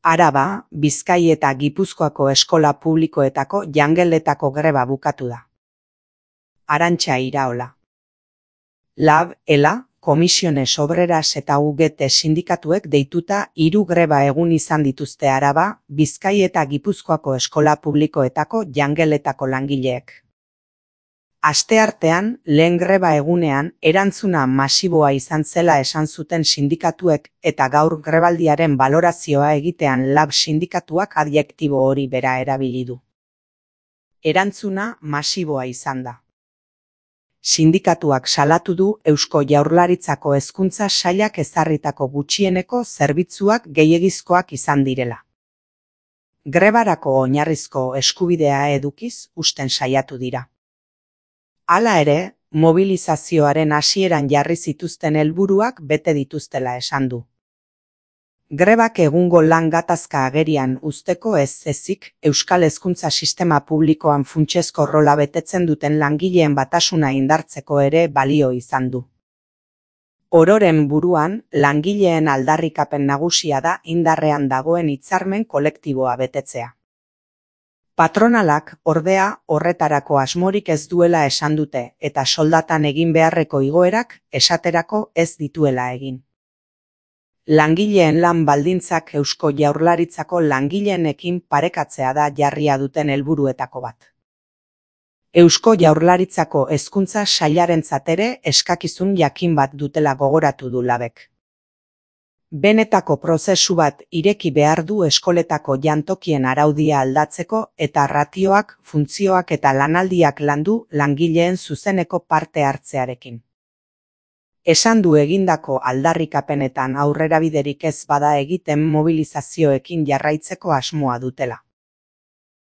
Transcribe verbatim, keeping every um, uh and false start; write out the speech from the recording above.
Araba, Bizkai eta Gipuzkoako eskola publikoetako jangeletako greba bukatu da. Arantxa Iraola. Lab, Ela, Komisiones Obreras eta U G T sindikatuek deituta hiru greba egun izan dituzte Araba, Bizkai eta Gipuzkoako eskola publikoetako jangeletako langileek. Asteartean, lehen greba egunean, erantzuna masiboa izan zela esan zuten sindikatuek eta gaur grebaldiaren balorazioa egitean Lab sindikatuak adjektibo hori bera erabili du. Erantzuna masiboa izan da. Sindikatuak salatu du Eusko Jaurlaritzako Hezkuntza Sailak ezarritako gutxieneko zerbitzuak gehiegizkoak izan direla. Grebarako oinarrizko eskubidea edukiz usten saiatu dira. Hala ere, mobilizazioaren hasieran jarri zituzten helburuak bete dituztela esan du. Grebak egungo lan gatazka agerian uzteko ez ezik, Euskal Hezkuntza Sistema Publikoan funtsezko rola betetzen duten langileen batasuna indartzeko ere balio izan du. Ororen buruan, langileen aldarrikapen nagusia da indarrean dagoen hitzarmen kolektiboa betetzea. Patronalak, ordea, horretarako asmorik ez duela esan dute eta soldatan egin beharreko igoerak esaterako ez dituela egin. Langileen lan baldintzak Eusko Jaurlaritzako langileenekin parekatzea da jarria duten helburuetako bat. Eusko Jaurlaritzako Hezkuntza Sailarentzat ere eskakizun jakin bat dutela gogoratu du Labek. Benetako prozesu bat ireki behar du eskoletako jantokien araudia aldatzeko eta ratioak, funtzioak eta lanaldiak landu langileen zuzeneko parte hartzearekin. Esan du egindako aldarrikapenetan aurrerabiderik ez bada egiten mobilizazioekin jarraitzeko asmoa dutela.